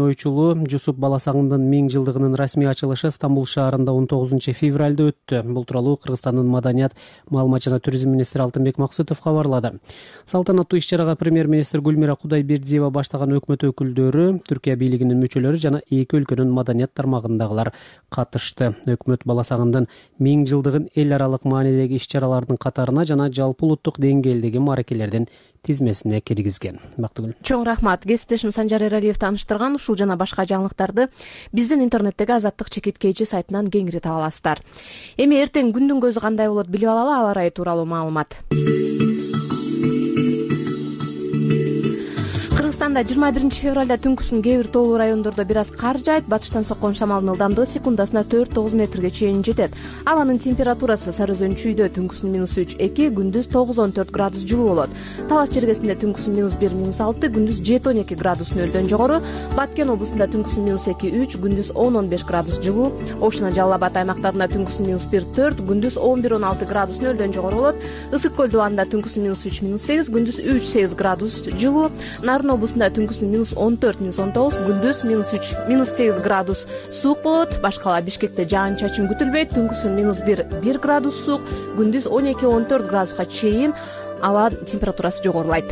Ойчулуу Жусуп Баласагындын 1000 жылдыгынын расмий ачылышы Стамбул шаарында 19 февралда өттү. Бул тууралуу Кыргызстандын маданият, маалымат жана туризм министри Алтынбек Максутов кабарлады. Салтанаттуу иш-чарага премьер-министр Гүлмира Кудайбердиева баштаган өкмөт өкүлдөрү, Түркия бийлигинин мүчөлөрү жана эки өлкөнүн маданият тармагындагылар катышты. Өкмөт Баласагындын 1000 жылдыгын эл аралык маанидеги иш-чаралардын катарына жана жалпы улуттук деңгээлдеги мааракелердин тизмесине киргизген. Бактыгүл. Чоң рахмат. Кесиптешим Санжар Эралиев тааныштырган ушул жана башка жаңылыктарды биздин интернеттеги Азаттык чекиткейчи сайтынан кеңири таба аласыздар. Эми эртең күндүн көзү кандай болот билип алалы, аба ырайы тууралуу маалымат. Кыргызстанда 21 февралда түнкүсүн кээ бир тоолуу райондордо бир аз кар жаайт. Батыштан соккон шамалдын ылдамдыгы секундасына 4-9 метрге чейин жетет. Абанын температурасы Сары Өзөн чүйдө түнкүсүн -3-2, күндүз 9-14 градус жылуу болот. Талас жергесинде түнкүсүн -1-6, күндүз 7-12 градус нөлдөн жогору. Баткен облусунда түнкүсүн -2-3, күндүз 10-15 градус жылуу. Ош жана Жалал Абад аймактарында түнкүсүн -1-4, күндүз 11-16 градус нөлдөн жогору болот. Ысык көл дубанында түнкүсүн -3-8, күндүз 3-8 градус жылуу. Нарын облусунда түнкүсүн -14-19, күндүз -3-8 градус суук болот. Башкала Бишкекте жаан-чачын күтүлбөйт. Түнкүсүн -1 градус суук, күндүз 12-14 градуска чейин аба температурасы жогорулайт.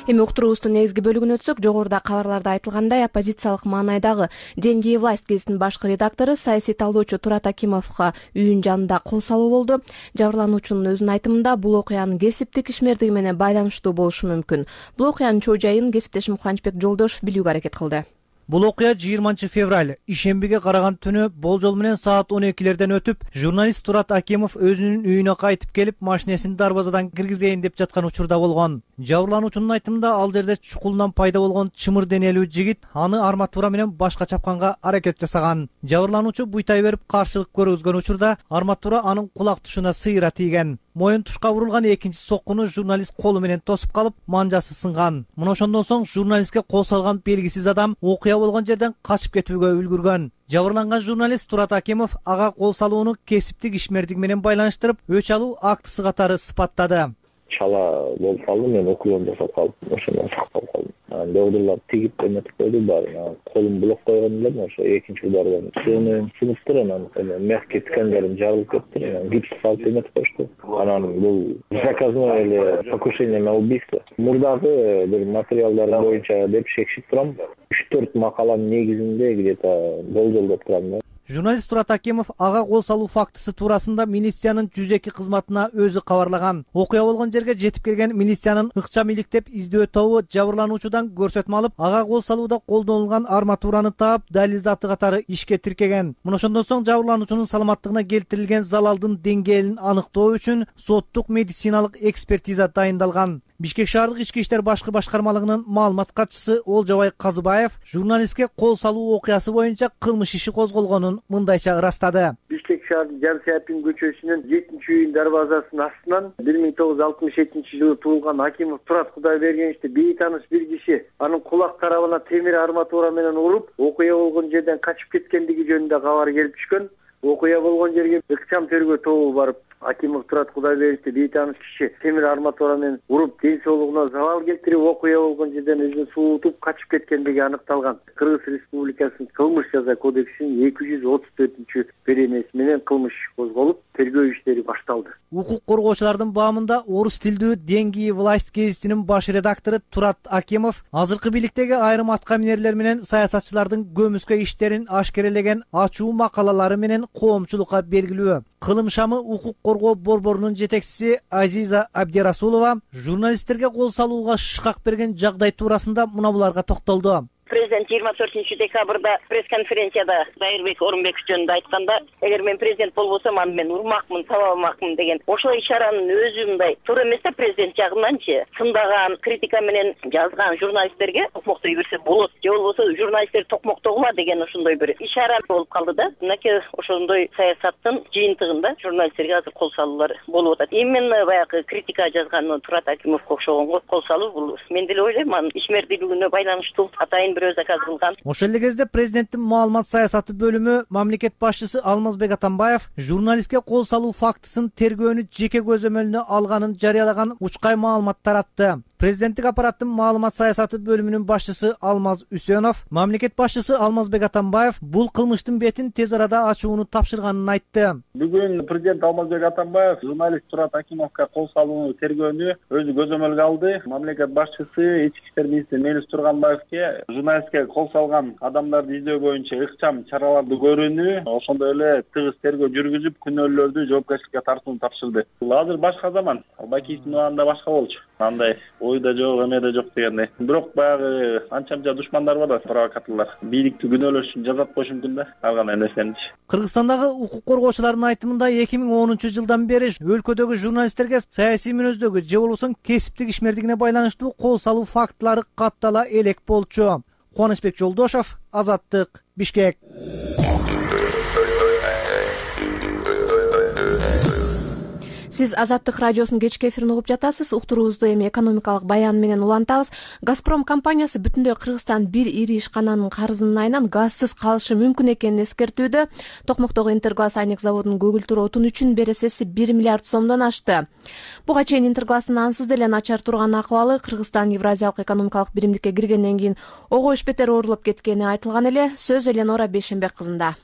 Эми уктуруубуздун негизги бөлүгүнө өтсөк, жогоруда кабарларда айтылгандай, оппозициялык маанайдагы «Деньги и власть» гезитинин башкы редактору, саясий талдоочу Турат Акимовго үйүнүн жанында кол салуу болду. Жабырлануучунун өзүнүн айтымында бул окуянын кесиптик ишмердиги менен байланыштуу болушу мүмкүн. Бул окуянын чоо жайын кесиптешим Кубанычбек Жолдошев билүүгө аракет кылды. Бул окуя 20 февраль ишембиге караган түнү болжол менен саат 12-лерден өтүп, журналист Турат Акимов өзүнүн үйүнө кайтып келип, машинесин дарбазадан киргизейин деп жаткан учурда болгон. Жабырлануучунун айтымында ал жерде чукулунан пайда болгон чымыр денелүү жигит аны арматура менен башка чапканга аракет жасаган. Жабырлануучу буйтай берип каршылык көргөзгөн учурда арматура анын кулак тушуна сыйра тийген. Моюн тушка урулган экинчи соккуну журналист колу менен тосуп калып, манжасы сынган. Мына ошондон соң журналистке кол салган белгисиз адам окуя болгон жерден качып кетүүгө үлгүргөн. Жабырланган журналист Турат Акимов ага кол салууну кесиптик ишмердик менен байланыштырып, өч алуу актысы катары сыпаттады. Чала болуп калды, мен окуям жасап калдым, ошондон сакталып калдым. Доодурлар тигип эметип койду баарын. Колум блок койгон элем, ошо экинчи удардан сөнүп сыныптыр, анан мягкий тканьдарым жарылып кетти, гипс салып эметип коюшту. Анан бул заказное эле покушение на убийство. Мурдагы бир материалдар боюнча деп шекшип турам. 3-4 макаланын негизинде где-то болжолдоп турам. Журналист Турат Акимов ага кол салуу фактысы туурасында милициянын 102 кызматына өзү кабарлаган. Окуя болгон жерге жетип келген милициянын ыкчам иликтеп издөө тобу жабырлануучудан көрсөтмө алып, ага кол салууда колдонулган арматураны таап, далил заты катары ишке тиркеген. Мына ошондон соң жабырлануучунун саламаттыгына келтирилген залалдын деңгээлин аныктоо үчүн соттук медициналык экспертиза дайындалган. Бишкек шаардык ички иштер башкы башкармалыгынын маалымат катчысы Олжобай Казыбаев журналистке кол салуу окуясы боюнча кылмыш иши козголгонун мындайча ырастады. Бишкек шаардын Жан Сяпин көчөсүнүн 7-үйүн дарбазасынын астынан 1967-жылы туулган Акимов Турат Кудайбергеновичти бейтааныш бир киши анын кулак тарабына темир арматура менен уруп, окуя болгон жерден качып кеткендиги жөнүндө кабар келип түшкөн. Окуя болгон жерге ыкчам тергөө тобу барып, Акимов Турат Кудайбергеновичти бейтааныш киши темир арматура менен уруп, ден соолугуна залал келтирип, окуя болгон жерден өзүн суутуп качып кеткендиги аныкталган. Кыргыз Республикасынын кылмыш жаза кодексинин 234-беренеси менен кылмыш козголуп, тергөө иштери башталды. Укук коргоочулардын баамында орус тилдүү «Деньги и власть» гезитинин баш редактору Турат Акимов азыркы бийликтеги айрым атка минерлер менен саясатчылардын көмүскө иштерин ашкерелеген ачуу макалалары менен коомчулукка белгилүү. Кылым шамы укук коргоо борборунун жетекчиси Азиза Абдирасулова журналисттерге кол салууга шыкак берген жагдай туурасында мына буларга токтолду. Президент 24-декабрда пресс-конференцияда Дайырбек Орунбеков жөнүндө айтканда, эгер мен президент болбосом, аны мен урмакмын, табалмакмын деген. Ошол ишаранын өзү мындай туура эмес да, президент жагынанчы сындаган, критика менен жазган журналисттерге токмоктой берсе болот, же болбосо журналисттер токмоктогула деген ошондой бир ишара болуп калды да. Мынакей ошондой саясаттын жыйынтыгында журналисттерге азыр кол салуулар болуп атат. Именно баягы критика жазган Турат Акимовго окшогонго кол салуу бул мен деле ойлойм, анын ишмердүүлүгүнө байланыштуу, атайын бирөө заказ кылган. Ошол эле кезде президенттин маалымат саясаты бөлүмү мамлекет башчысы Алмазбек Атамбаев журналистке кол салуу фактысын тергөөнү жеке көзөмөлүнө алганын жарыялаган учкай маалымат таратты. Президенттик аппараттын маалымат саясаты бөлүмүнүн башчысы Алмаз Үсөнов мамлекет башчысы Алмазбек Атамбаев бул кылмыштын бетин тез арада ачууну тапшырганын айтты. Бүгүн президент Алмазбек Атамбаев журналист Турат Акимовго кол салууну тергөөнү өзү көзөмөлгө алды. Мамлекет башчысы ички иштер министри Мелис Турганбаевке журналистке кол салган адамдарды издөө боюнча ыкчам чараларды көрүүнү, ошондой эле тыгыз тергөө жүргүзүп, күнөөлүүлөрдү жоопкерчиликке тартууну тапшырды. Азыр башка заман, Бакиевдин убагында башка болчу. Андай ойда жок, эмеде жок дегендей. Бирок баягы анча-мынча душмандар бар да, провокаторлор. Бийликти күнөөлөш үчүн жазат болушу мүмкүн да. Калган нерсени. Кыргызстандагы укук коргоочулардын айтымында 2010-жылдан бери өлкөдөгү журналисттерге саясий мүнөздөгү же болбосо кесиптик ишмердигине байланыштуу кол салуу фактылары каттала элек болчу. Кубанычбек Жолдошов, Азаттык, Бишкек. Сиз Азаттык радиосунун кечки эфирин угуп жатасыз. Уктуруубузду эми экономикалык баян менен улантабыз. Газпром компаниясы бүтүндөй Кыргызстан бир ири ишкананын карызынын айынан газсыз калышы мүмкүн экенин эскертүүдө. Токмоктогу Интерглаз айнек заводунун көгүлтүр отун үчүн бересеси 1 миллиард сомдон ашты. Буга чейин Интерглаздын ансыз деле начар турган акыбалы Кыргызстан Евразиялык экономикалык биримдикке киргенден кийин ого эч бетер оорулуп кеткени айтылган эле. Сөз Эленора Бейшенбек кызында.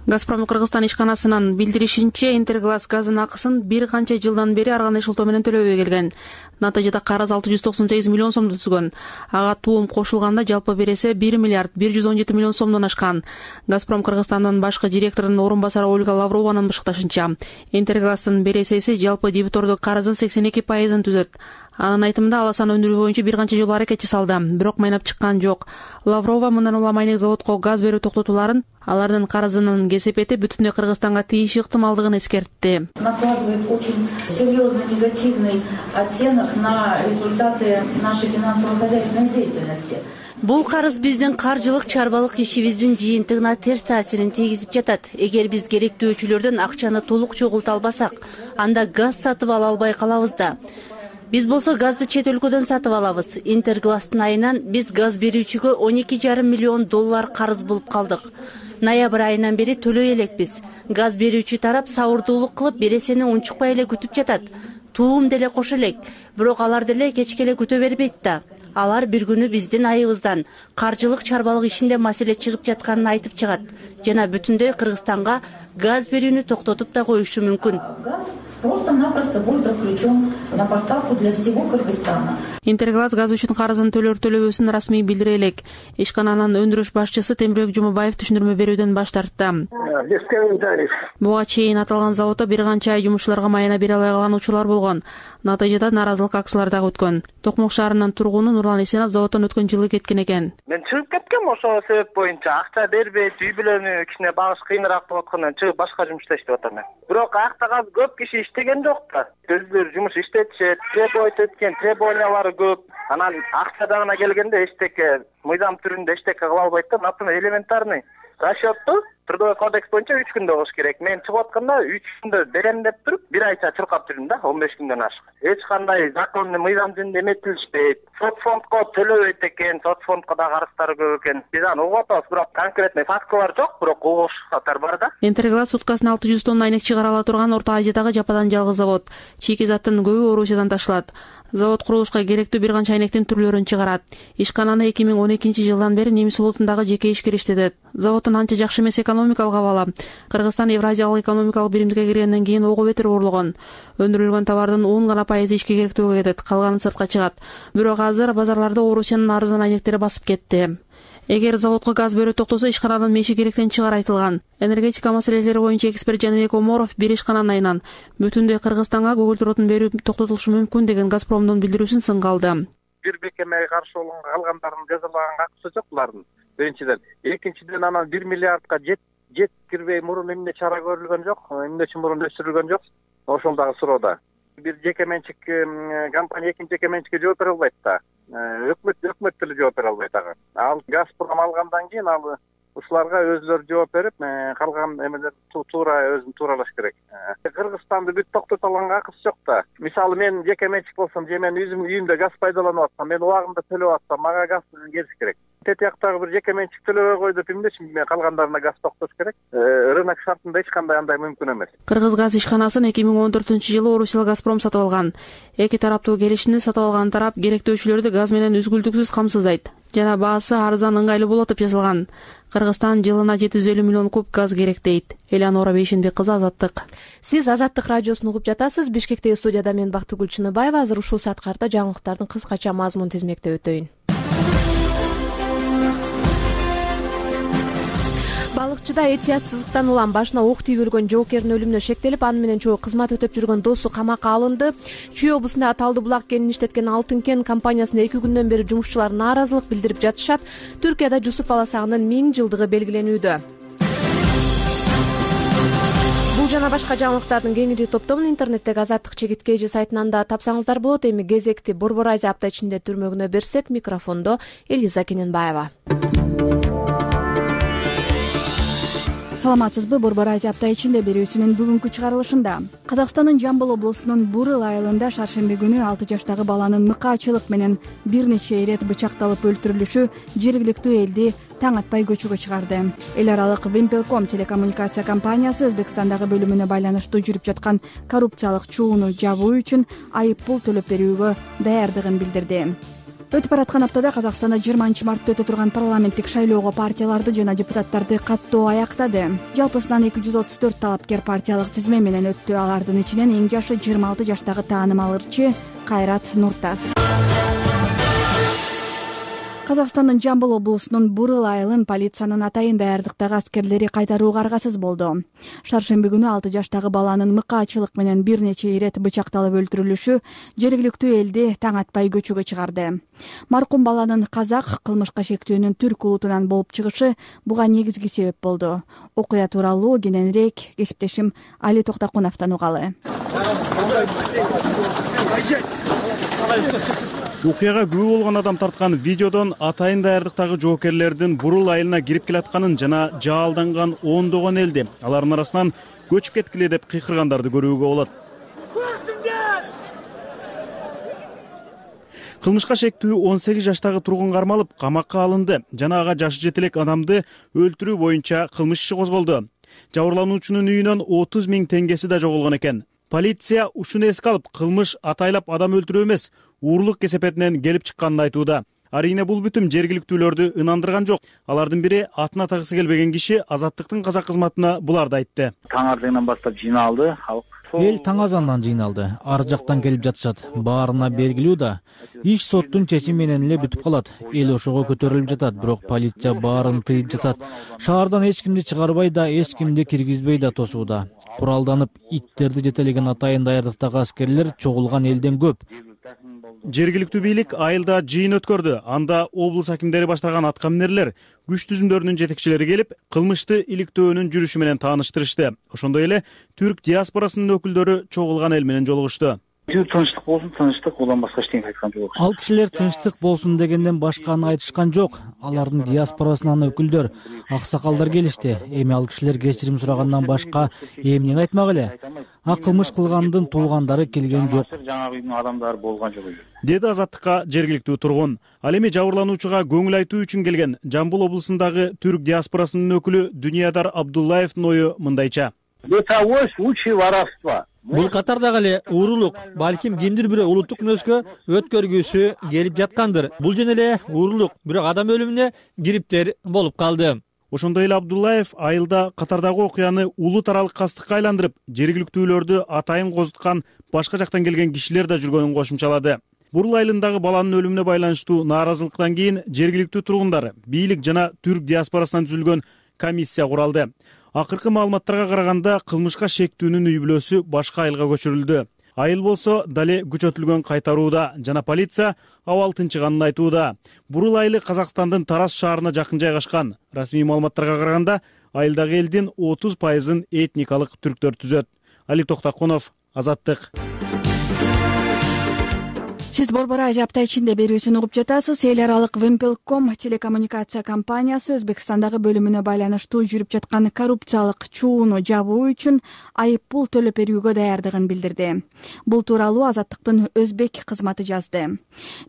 Газпром Кыргызстан ишканасынын билдиришинче, Интерглаз газынын акысын бир канча жылдан бери ар кандай шылтоо менен төлөбөй келген. Натыйжада карыз 698 миллион сомду түзгөн. Ага туум кошулганда жалпы бересе 1 миллиард 117 миллион сомдон ашкан. Газпром Кыргызстандын башкы директорунун орун басары Ольга Лаврованын бышыкташынча, Интерглаздын бересеси жалпы дебитордук карыздын 82% түзөт. Анын айтымында аласан өндүрүү боюнча бир канча жолу аракет жасалды, бирок майнап чыккан жок. Лаврова мындан улам айнек заводко газ берүү токтотуларын, алардын карызынын кесепети бүтүндөй Кыргызстанга тийиши ыктымалдыгын эскертти. Накладывает очень серьезный негативный оттенок на результаты нашей финансово-хозяйственной деятельности. Бул карыз биздин каржылык чарбалык ишибиздин жыйынтыгына терс таасирин тийгизип жатат. Эгер биз керектүүчүлөрдөн акчаны толук чогулта албасак, анда газ сатып ала албай калабыз да. Биз болсо газды чет өлкөдөн сатып алабыз. Интерглаздын айынан биз газ берүүчүгө 12,5 миллион доллар карыз болуп калдык. Ноябрь айынан бери төлөй элекпиз. Газ берүүчү тарап сабырдуулук кылып бересени унчукпай эле күтүп жатат. Туум деле кош элек, бирок алар деле кечке эле күтө бербейт да. Алар бир күнү биздин айыбыздан каржылык чарбалык ишинде маселе чыгып жатканын айтып чыгат. Жана бүтүндөй Кыргызстанга газ берүүнү токтотуп да коюшу мүмкүн. Просто-напросто будет отключен на поставку для всего Кыргызстана. Интерглаз газ үчүн карызын төлөбөсүн расмий билдире элек. Ишкананын өндүрүш башчысы Темирбек Жумабаев түшүндүрмө берүүдөн баш тартты. Буга чейин аталган заводдо бир канча ай жумушчуларга майына бере албай калган учурлар болгон. Натыйжада нааразылык акциялары дагы өткөн. Токмок шаарынын тургуну Нурлан Эсенов заводдон өткөн жылы кеткен экен. Мен чыгып кеткем ошол себеп боюнча. Акча бербейт, үй бүлөнү кичине багыш кыйыныраак болуп аткандан чыгып башка жумушта иштеп атам. Бирок аяктагы көп киши иштеген жок да. Өздөрү жумуш иштетишет, требовать эткен, требованиялары көп. Анан акча дагына келгенде эчтеке мыйзам түрүндө эчтеке кыла албайт да. Например, элементарный расчётту Трудовой кодекс боюнча 3 күндө болуш керек. Мен чыгып атканда 3 күндө берем деп туруп, бир айча чуркап жүрдүм да, 15 күндөн ашык. Эч кандай законный мыйзам жөнүндө эметилишпейт. Сот фондко төлөбөйт экен, сот фондко да карыздары көп экен. Биз аны угуп атабыз, бирок конкретный фактылар жок, бирок угушаттар бар да. Интерглаз суткасына 600 тонна айнек чыгара ала турган Орто Азиядагы жападан жалгыз завод. Чийки заттын көбү Орусиядан ташылат. Завод курулушка керектүү бир канча айнектин түрлөрүн чыгарат. Ишкананы 2012-жылдан бери немис флотундагы жеке ишкер иштетет. Заводдун анча жакшы эмес экономикалык абалы. Кыргызстан Евразиялык экономикалык биримдикке киргенден кийин ого бетер оорлогон. Өндүрүлгөн товардын 10% ишке керектүүгө кетет, калганы сыртка чыгат. Бирок азыр базарларда Орусиянын арзан айнектери басып кетти. Эгер заводко газ берүү токтосо, ишкананын меши керектен чыгар айтылган. Энергетика маселелери боюнча эксперт Жаныбек Оморов бир ишкананын айынан бүтүндөй Кыргызстанга көгүлтүр отун берүү токтотулушу мүмкүн деген Газпромдун билдирүүсүн сынга алды. Бир бекемеге каршы болгон калгандарынын жазалаган акысы жок булардын. Биринчиден, экинчиден анан 1 миллиардка жеткирбей мурун эмне чара көрүлгөн жок, эмне үчүн мурун өчүрүлгөн жок. Ошол дагы суроода. Бир жеке менчик компания экинчи жеке менчикке жооп бере албайт да. Өкмөт деле жооп бере албайт ага. Ал Газпром алгандан кийин ал ушуларга өзүлөрү жооп берип, калган эмелер туура өзүн тууралаш керек. Кыргызстанды бүт токтото алганга акысы жок да. Мисалы мен жеке менчик болсом, же мен өзүм үйүмдө газ пайдаланып атсам, мен убагында төлөп атсам, мага газ келиш керек. Тет жактагы бир жеке менчик төлөбөй кой деп эмнечи калгандарына газ токтош керек? Рынок шартында эч кандай андай мүмкүн эмес. Кыргыз газ ишканасын 2014-жылы Орусия Газпром сатып алган. Эки тараптуу келишимди сатып алган тарап керектөөчүлөрдү газ менен үзгүлтүксүз камсыздайт жана баасы арзан ыңгайлуу болот деп жазылган. Кыргызстан жылына 750 миллион куб газ керек дейт. Элеонора Бейшенбек кызы, Азаттык. Сиз Азаттык радиосун угуп жатасыз. Бишкектеги студияда мен Бактыгүл Чыныбаева. Азыр ушул саткарта жаңылыктардын кыскача мазмун тизмектеп өтөйүн. Балыкчыда этиятсыздыктан улам башына ок тийип өлгөн жоокердин өлүмүнө шектелип, аны менен чогуу кызмат өтөп жүргөн досу камакка алынды. Чүй облусунда Талды булак кенин иштеткен Алтын кен компаниясында 2 күндөн бери жумушчулар нааразылык билдирип жатышат. Түркияда Жусуп баласагынын 1000 жылдыгы белгиленүүдө. Бул жана башка жаңылыктардын кеңири топтомун интернеттеги Азаттык чегиткейжи сайтынан да тапсаңыздар болот. Эми кезекти Борбор Азия апта ичинде түрмөгүнө берсек, микрофондо Элиза Кененбаева. Саламатсызбы? Борбор Азия апта ичинде берүүсүнүн бүгүнкү чыгарылышында Казакстандын Жамбыл облусунун Бурыл айылында шаршемби күнү 6 жаштагы баланын мыкаачылык менен бир нече ирет бычакталып өлтүрүлүшү жергиликтүү элди таң атпай көчөгө чыгарды. Эл аралык Вимпелком телекоммуникация компаниясы Өзбекстандагы бөлүмүнө байланыштуу жүрүп жаткан коррупциялык чууну жабуу үчүн айып пул төлөп берүүгө даярдыгын билдирди. Өтүп бараткан аптада Казакстанда 20 мартта өтө турган парламенттик шайлоого партияларды жана депутаттарды каттоо аяктады. Жалпысынан 234 талапкер партиялык тизме менен өттү. Алардын ичинен эң жашы 26 жаштагы таанымал ырчы Кайрат Нуртас. Казакстандын Жамбыл облусунун Бурыл айылын полициянын атайын даярдыктагы аскерлери кайтарууга аргасыз болду. Шаршемби күнү 6 жаштагы баланын мыкаачылык менен бир нече ирет бычакталып өлтүрүлүшү жергиликтүү элди таң атпай көчөгө чыгарды. Маркум баланын казак, кылмышка шектүүнүн түрк улутунан болуп чыгышы буга негизги себеп болду. Окуя тууралуу кененирээк кесиптешим Али Токтакуновдон угалы. Окуяга күбө болгон адам тарткан видеодон атайын даярдыктагы жоокерлердин Бурул айылына кирип келатканын жана жаалданган ондогон элди алардын арасынан көчүп кеткиле деп кыйкыргандарды көрүүгө болот. Кылмышка шектүү 18 жаштагы тургун кармалып, камакка алынды жана ага жашы жете элек адамды өлтүрүү боюнча кылмыш иши козголду. Жабырлануучунун үйүнөн 30 000 теңгеси да жоголгон экен. Полиция ушуну эске алып, кылмыш атайлап адам өлтүрүү эмес, уурлук кесепетинен келип чыкканын айтууда. Арийне бул бүтүм жергиликтүүлөрдү ынандырган жок. Алардын бири атын атагысы келбеген киши Азаттыктын казак кызматына буларды айтты. Таң ардыгынан баштап жыйналды халык. Эл таң азандан жыйналды. Ар жактан келип жатышат. Баарына белгилүү да. Иш соттун чечими менен эле бүтүп калат. Эл ошого көтөрүлүп жатат, бирок полиция баарын тыйып жатат. Шаардан эч кимди чыгарбай да, эч кимди киргизбей да тосууда. Куралданып, иттерди жетелеген атайын даярдыктагы аскерлер чогулган элден көп. Жергиликтүү бийлик айылда жыйын өткөрдү. Анда облус акимдери баштаган аткаминерлер, күч түзүмдөрүнүн жетекчилери келип, кылмышты иликтөөнүн жүрүшү менен тааныштырышты. Ошондой эле түрк диаспорасынын өкүлдөрү чогулган эл менен жолугушту. Тынчтык болсун, тынчтык, одан башка эчтеке айткан жок. Ал кишилер тынчтык болсун дегенден башканы айтышкан жок. Алардын диаспорасынан өкүлдөр, аксакалдар келишти. Эми ал кишилер кечирим сурагандан башка эмнени айтмак эле? Кылмыш кылгандын туугандары келген жок. Жаңа үйдүн адамдары болгон жок. Деди Азаттыкка жергиликтүү тургун. Ал эми жабырлануучуга көңүл айтуу үчүн келген Жамбыл облусундагы түрк диаспорасынын өкүлү Дүниядар Абдуллаевдин ою мындайча. Бытовой случай воровства. Бул катардагы эле уурулук, балким кимдир бирөө улуттук мүнөзгө өткөргүсү келип жаткандыр. Бул жана эле уурулук, бирок адам өлүмүнө кириптер болуп калды. Ошондой эле Абдуллаев айылда катардагы окуяны улут аралык кастыкка айландырып, жергиликтүүлөрдү атайын козуткан башка жактан келген кишилер да жүргөнүн кошумчалады. Бурул айылындагы баланын өлүмүнө байланыштуу нааразылыктан кийин жергиликтүү тургундар, бийлик жана түрк диаспорасынан түзүлгөн комиссия куралды. Акыркы маалыматтарга караганда кылмышка шектүүнүн үй бүлөсү башка айылга көчүрүлдү. Айыл болсо дале күчөтүлгөн кайтарууда жана полиция абал тынчыганын айтууда. Бурул айылы Казакстандын Тарас шаарына жакын жайгашкан. Расмий маалыматтарга караганда айылдагы элдин 30% этникалык түрктөр түзөт. Али Токтакунов, Азаттык. Сиз Борбор Азия апта ичинде берүүсүн угуп жатасыз. Эл аралык Вимпелком телекоммуникация компаниясы Өзбекстандагы бөлүмүнө байланыштуу жүрүп жаткан коррупциялык чууну жабуу үчүн айып пул төлөп берүүгө даярдыгын билдирди. Бул тууралуу Азаттыктын өзбек кызматы жазды.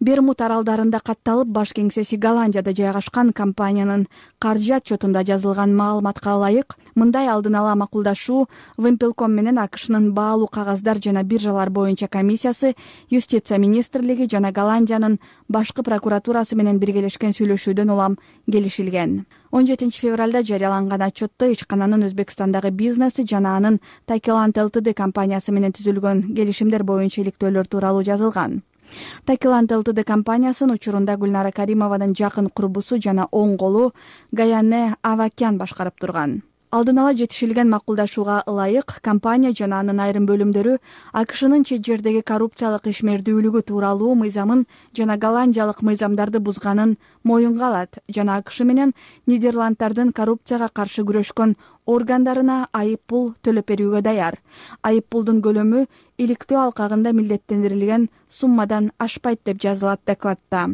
Бермуд аралдарында катталып, баш кеңсеси Голландияда жайгашкан компаниянын каржы отчетунда жазылган маалыматка ылайык, мындай алдын ала макулдашуу Вимпелком менен АКШнын баалуу кагаздар жана биржалар боюнча комиссиясы, юстиция министрлиги жана Голландиянын башкы прокуратурасы менен биргелешкен сүйлөшүүдөн улам келишилген. 17 февралда жарыяланган отчетто ичкананын Өзбекстандагы бизнеси жана анын Takilant Ltd компаниясы менен түзүлгөн келишимдер боюнча иликтөөлөр тууралуу жазылган. Takilant Ltd компаниясынын учурунда Гүлнара Каримованын жакын курбусу жана оң колу Гаяне Авакян башкарып турган. Алдын ала жетишилген макулдашууга ылайык, компания жана анын айрым бөлүмдөрү АКШнын чет жердеги коррупциялык ишмердүүлүгү тууралуу мыйзамын жана голландиялык мыйзамдарды бузганын моюнга алат жана АКШ менен Нидерланддардын коррупцияга каршы күрөшкөн органдарына айып пул төлөп берүүгө даяр. Айып пулдун көлөмү иликтөө алкагында милдеттендирилген суммадан ашпайт деп жазылат докладта.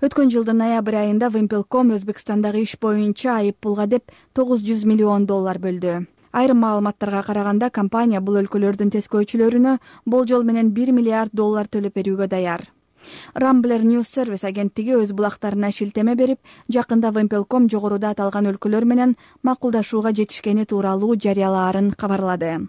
Өткөн жылдын ноябрь айында Вимпелком Өзбекстандагы иш боюнча айып пулга деп $900 миллион бөлдү. Айрым маалыматтарга караганда, компания бул өлкөлөрдүн тескөөчүлөрүнө болжол менен $1 миллиард төлөп берүүгө даяр. Rambler News Service агенттиги өз булактарына шилтеме берип, жакында Вимпелком жогоруда аталган өлкөлөр менен макулдашууга жетишкени тууралуу жарыялаарын кабарлады.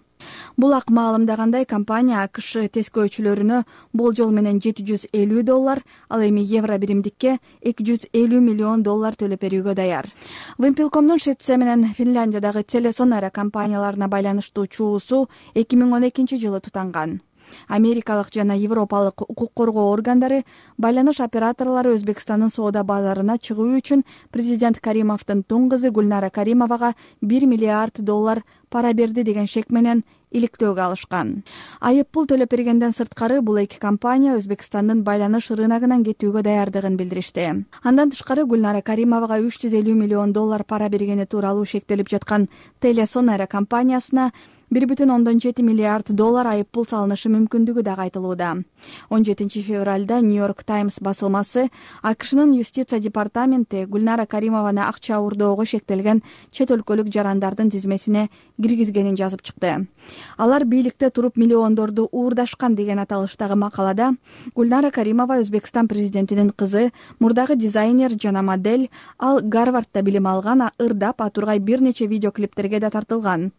Булак маалымдагандай, компания АКШ тескөөчүлөрүнө болжол менен $750, ал эми евро биримдикке $250 миллион төлөп берүүгө даяр. Вимпелкомдун Швеция менен Финляндиядагы Телесонара компанияларына байланыштуу чуусу 2012 жылы тутанган. Америкалык жана европалык укук коргоо органдары байланыш операторлору Өзбекстандын соода базарына чыгуу үчүн президент Каримовдун тун кызы Гүлнара Каримовага $1 миллиард пара берди деген шек менен иликтөөгө алышкан. Айып пул төлөп бергенден сырткары бул эки компания Өзбекстандын байланыш рыногунан кетүүгө даярдыгын билдиришти. Андан тышкары Гүлнара Каримовага $350 миллион пара бергени тууралуу шектелип жаткан Телесонара компаниясына $1,7 миллиард айып пул салынышы мүмкүндүгү да айтылууда. 17 февралда Нью-Йорк Таймс басылмасы АКШнын юстиция департаменти Гүлнара Каримованы акча уурдоого шектелген чет өлкөлүк жарандардын тизмесине киргизгенин жазып чыкты. Алар бийликте туруп миллиондорду уурдашкан деген аталыштагы макалада Гүлнара Каримова Өзбекстан президентинин кызы, мурдагы дизайнер жана модель, ал Гарвардда билим алган, ырдап атургай бир нече видеоклиптерге да тартылган.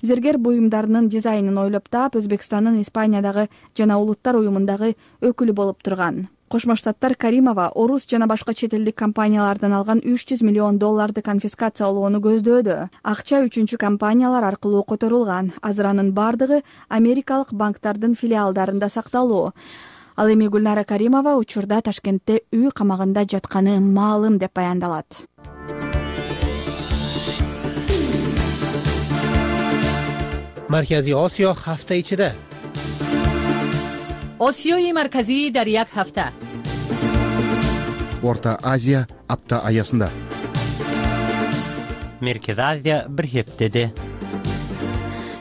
Зергер буюмдарынын дизайнын ойлоп таап, Өзбекстандын Испаниядагы жана улуттар уюмундагы өкүлү болуп турган. Кошмо Штаттар Каримова орус жана башка чет элдик компаниялардан алган $300 миллион конфискациялоону көздөөдө. Акча үчүнчү компаниялар аркылуу которулган. Азыр анын бардыгы америкалык банктардын филиалдарында сакталуу. Ал эми Гүлнара Каримова учурда Ташкентте үй камагында жатканы маалым деп баяндалат. Маркази Осиё ҳафта ичида. Осиёи марказӣ дар як ҳафта. Орта Азия апта аясында. Меркези Азия бир хептеде.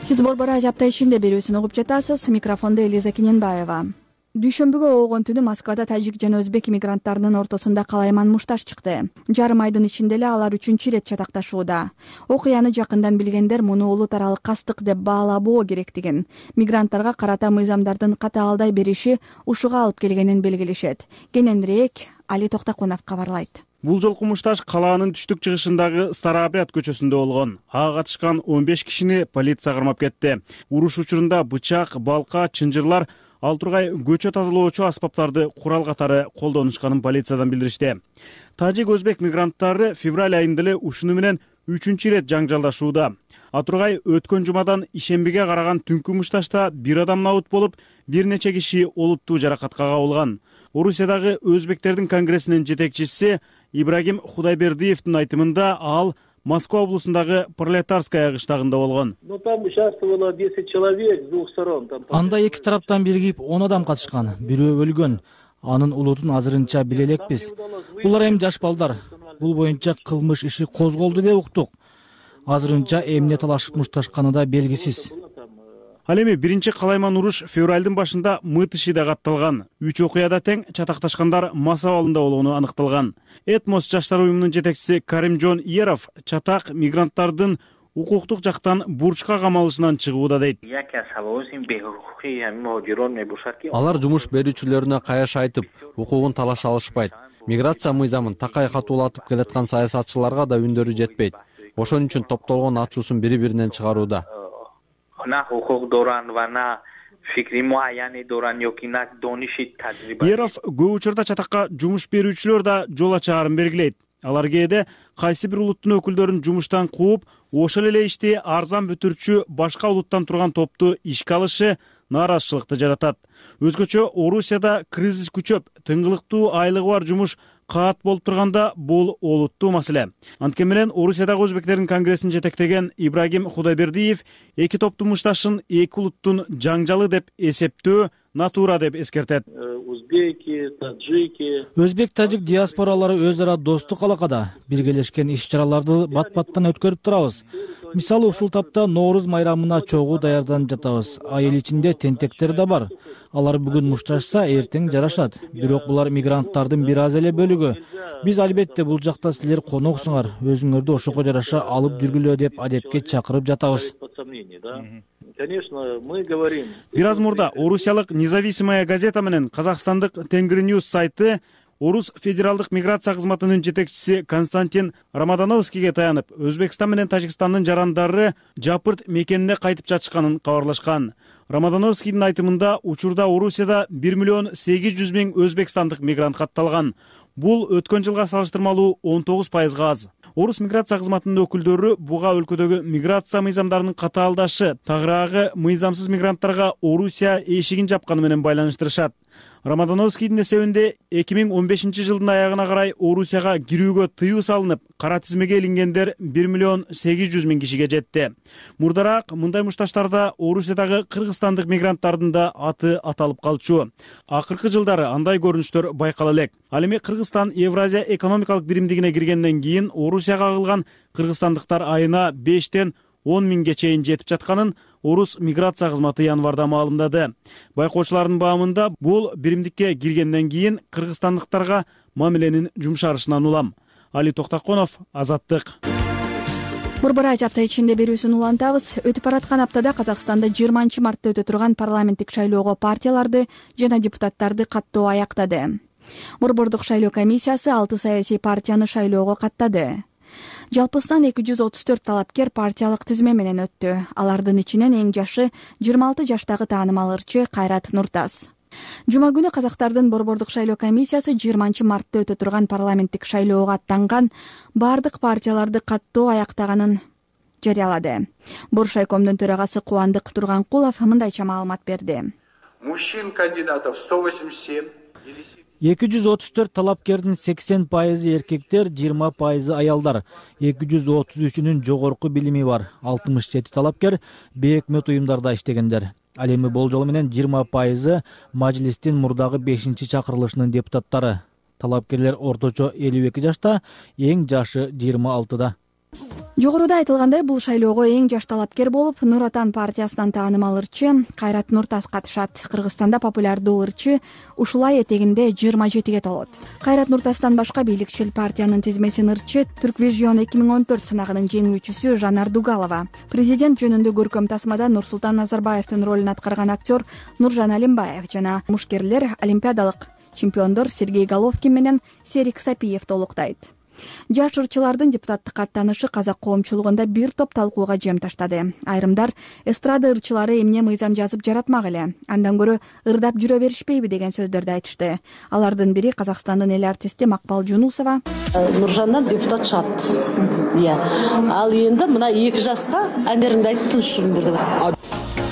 Сиз Борбор Азия апта ичинде берүүсүн угуп жатасыз. Микрофондо Элиза Кененбаева. Дүйшөмбүгө оогон түнү Москвада тажик жана өзбек мигранттарынын ортосунда калайман мушташ чыкты. Жарым айдын ичинде эле алар 3-чү ирет чатакташууда. Окуяны жакындан билгендер муну улут аралык кастык деп баалабоо керектигин, мигранттарга карата мыйзамдардын катаалдай бериши ушуга алып келгенин белгилешет. Кененирээк Али Токтакунов кабарлайт. Бул жолку мушташ калаанын түштүк чыгышындагы Старообряд көчөсүндө болгон. Ага катышкан 15 кишини полиция кармап кетти. Уруш учурунда бычак, балка, чынжырлар, ал тургай көчө тазалоочу аспаптарды курал катары колдонушканын полициядан билдиришти. Тажик-өзбек мигранттары февраль айында эле ушуну менен 3-чү ирет жаңжалдашууда. Атургай өткөн жумадан ишембиге караган түнкү мушташта бир адам набыт болуп, бир нече киши олуттуу жаракатка кабылган. Орусиядагы өзбектердин конгрессинин жетекчиси Ибрагим Худайбердиевдин айтымында ал Москва облусундагы Пролетарская кыштагында болгон. Там участвовало 10 человек с двух сторон. Анда эки тараптан биригип 10 адам катышкан, бирөө өлгөн. Анын улутун азырынча биле элекпиз. Булар эми жаш балдар. Бул боюнча кылмыш иши козголду деп уктук. Азырынча эмне талашып мушташканы да белгисиз. Ал эми биринчи калайман уруш февралдын башында Мытышида катталган. 3 окуяда тең чатакташкандар мас абалында болгону аныкталган. Этмос жаштар уюмунун жетекчиси Каримжон Еров чатак мигранттардын укуктук жактан бурчка камалышынан чыгууда дейт. Алар жумуш берүүчүлөрүнө каяш айтып, укугун талаша алышпайт. Миграция мыйзамын такай катуулатып келаткан саясатчыларга да үндөрү жетпейт. Ошон үчүн топтолгон ачуусун бири-биринен чыгарууда. Еров көп учурда чатакка жумуш берүүчүлөр да жол ачаарын белгилейт. Алар кээде кайсы бир улуттун өкүлдөрүн жумуштан кууп, ошол эле ишти арзан бүтүрчү башка улуттан турган топту ишке алышы нааразычылыкты жаратат. Өзгөчө Орусияда кризис күчөп, тыңгылыктуу айлыгы бар жумуш каат болуп турганда бул олуттуу маселе. Анткени менен Орусиядагы өзбектердин конгрессин жетектеген Ибрагим Худайбердиев эки топтун мушташын эки улуттун жаңжалы деп эсептөө натура деп эскертет. Өзбек тажик диаспоралары өз ара достук алакада биргелешкен иш-чараларды бат-баттан өткөрүп турабыз. Мисалы ушул тапта Нооруз майрамына чогуу даярданып жатабыз. Айыл ичинде тентектер да бар. Алар бүгүн мушташса, эртең жарашат. Бирок булар мигранттардын бир аз эле бөлүгү. Биз албетте бул жакта силер коноксуңар, өзүңөрдү ошого жараша алып жүргүлө деп адепке чакырып жатабыз. Бир аз мурда орусиялык Независимая газета менен казакстандык Тенгриньюз сайты Орус федералдык миграция кызматынын жетекчиси Константин Рамадановскийге таянып, Өзбекстан менен Тажикстандын жарандары жапырт мекенине кайтып жатышканын кабарлашкан. Рамадановскийдин айтымында учурда Орусияда 1,8 миллион өзбекстандык мигрант катталган. Бул өткөн жылга салыштырмалуу 19% аз. Орус миграция кызматынын өкүлдөрү буга өлкөдөгү миграция мыйзамдарынын катаалдашы, тагыраагы мыйзамсыз мигранттарга Орусия эшигин жапканы менен байланыштырышат. Рамадановскийдин эсебинде 2015 жылдын аягына карай Орусияга кирүүгө тыюу салынып, кара тизмеге илингендер 1,8 миллион кишиге жетти. Мурдараак мындай мушташтарда Орусиядагы кыргызстандык мигранттардын да аты аталып калчу. Акыркы жылдары андай көрүнүштөр байкала элек. Ал эми Кыргызстан Евразия экономикалык биримдигине киргенден кийин Орусияга агылган кыргызстандыктар айына 5-тен 10 миңге чейин жетип жатканын Орус миграция кызматы январда маалымдады. Байкоочулардын баамында бул биримдикке киргенден кийин кыргызстандыктарга мамиленин жумшарышынан улам. Али Токтаконов, Азаттык. Борбор апта ичинде берүүсүн улантабыз. Өтүп бараткан аптада Казакстанда 20 мартта өтө турган парламенттик шайлоого партияларды жана депутаттарды каттоо аяктады. Борбордук шайлоо комиссиясы 6 саясий партияны шайлоого каттады. Жалпысынан 234 талапкер партиялык тизме менен өттү. Алардын ичинен эң жашы 26 жаштагы таанымал ырчы Кайрат Нуртас. Жума күнү казактардын борбордук шайлоо комиссиясы 20 мартта өтө турган парламенттик шайлоого аттанган бардык партияларды каттоо аяктаганын жарыялады. Боршайкомдун төрагасы Кубандык Турганкулов мындайча маалымат берди. Мужчин кандидатов 187. 234 талапкердин 80% эркектер, 20% аялдар. 233-үнүн жогорку билими бар. 67 талапкер бейөкмөт уюмдарда иштегендер. Ал эми болжол менен 20% мажлистин мурдагы 5-чакырылышынын депутаттары. Талапкерлер орточо 52 жашта, эң жашы 26да. Жогоруда айтылгандай, бул шайлоого эң жаш талапкер болуп, Нур Отан партиясынан таанымал ырчы Кайрат Нуртас катышат. Кыргызстанда популярдуу ырчы ушулай этегинде 27ге толот. Кайрат Нуртастан башка бийликчил партиянын тизмесин ырчы Турквижион 2014 сынагынын жеңүүчүсү Жанар Дугалова. Президент жөнүндө көркөм тасмада Нурсултан Назарбаевдин ролун аткарган актер Нуржан Алимбаев жана мушкерлер олимпиадалык чемпиондор Сергей Головкин менен Серик Сапиев толуктайт. Жаш ырчылардын депутаттыкка аттанышы казак коомчулугунда бир топ талкууга жем таштады. Айрымдар эстрада ырчылары эмне мыйзам жазып жаратмак эле, андан көрө ырдап жүрө беришпейби деген сөздөрдү айтышты. Алардын бири Казакстандын эл артисти Макпал Жунусова. Нуржандан депутат чыгат. Ал эndi мына 2 жашка әндеринди айтып тынчтырдырды.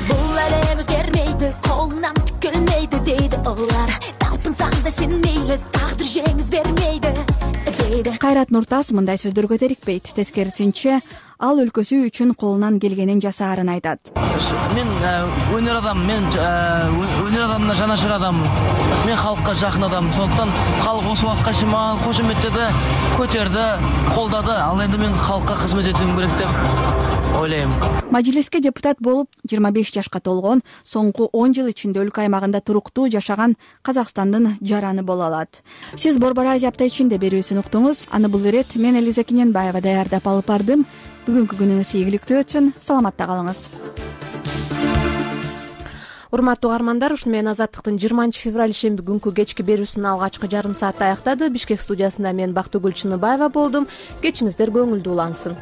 Бул эле өзгөрмөйдү, колунан келмейди дейди олар. Талпынсаң да сен мейли, тагдыр жеңиз бермейди. Кайрат Нуртас мындай сөздөргө терикпейт. Тескерисинче, ал өлкөсү үчүн колунан келгенин жасаарын айтат. Мен өнөр адам, өнөр адамына жанашыр адам. Мен халкка жакын адам. Сондуктан халк осы убакка чейин мага кошуметтеди, көтөрдү, колдады. Ал эми мен халкка кызмат этүүм керек деп ойлойм. Мажлиске депутат болуп 25 жашка толгон, соңку 10 жыл ичинде өлкө аймагында туруктуу жашаган Казакстандын жараны боло алат. Сиз Борбор Азия апта ичинде берүүсүн уктуңуз. Аны бул ирет мен Элиза Кененбаева даярдап алып бардым. Бүгүнкү күнүңүз ийгиликтүү өтсүн. Саламатта калыңыз. Урматтуу угармандар, ушуну менен Азаттыктын 20 февраль ишемби күнкү кечки берүүсүнүн алгачкы жарым сааты аяктады. Бишкек студиясында мен Бактыгүл Чыныбаева болдум. Кечиңиздер көңүлдүү улансын.